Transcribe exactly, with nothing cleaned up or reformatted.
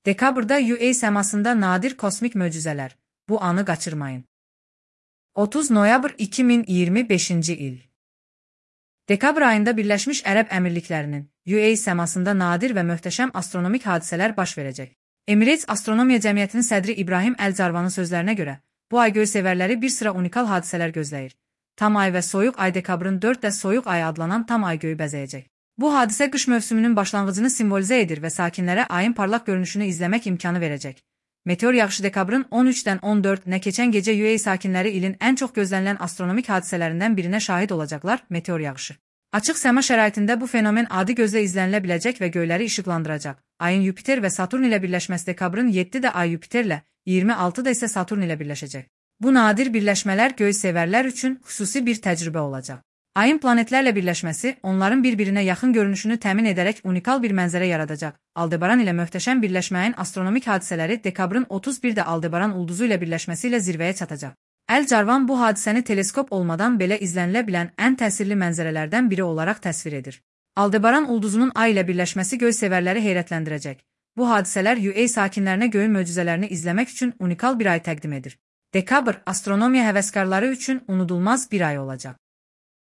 Dekabrda U A səmasında nadir kosmik möcüzələr. Bu anı qaçırmayın. otuz noyabr iki min iyirmi beşinci il. Dekabr ayında Birləşmiş Ərəb Əmirliklərinin U A səmasında nadir və möhtəşəm astronomik hadisələr baş verəcək. Emirates Astronomiya Cəmiyyətinin sədri İbrahim Əl-Carvanın sözlərinə görə, bu ay göysevərləri bir sıra unikal hadisələr gözləyir. Tam ay və soyuq ay dekabrın dörddə soyuq ayı adlanan tam ay göyü bəzəyəcək. Bu hadisə qış mövsümünün başlanğıcını simvolizə edir və sakinlərə ayın parlaq görünüşünü izləmək imkanı verəcək. Meteor yağışı dekabrın on üçdən on dördünə keçən gecə U A sakinləri ilin ən çox gözlənilən astronomik hadisələrindən birinə şahid olacaqlar, meteor yağışı. Açıq səma şəraitində bu fenomen adi gözlə izlənilə biləcək və göyləri işıqlandıracaq. Ayın Yupiter və Saturn ilə birləşməsi dekabrın yeddidə ay Yupiterlə, iyirmi altıda isə Saturn ilə birləşəcək. Bu nadir birləşmələr göysevərlər üçün xüsusi bir təcrübə olacaq. Ayın planetlərlə birləşməsi onların bir-birinə yaxın görünüşünü təmin edərək unikal bir mənzərə yaradacaq. Aldebaran ilə möhtəşəm birləşməyin astronomik hadisələri dekabrın otuz birdə Aldebaran ulduzu ilə birləşməsi ilə zirvəyə çatacaq. Əl-Carvan bu hadisəni teleskop olmadan belə izlənilə bilən ən təsirli mənzərələrdən biri olaraq təsvir edir. Aldebaran ulduzunun ay ilə birləşməsi göysevərləri heyrətləndirəcək. Bu hadisələr U A sakinlərinə göyün möcüzələrini izləmək üçün unikal bir ay təqdim edir. Dekabr astronomiya həvəskarları üçün unudulmaz bir ay olacaq.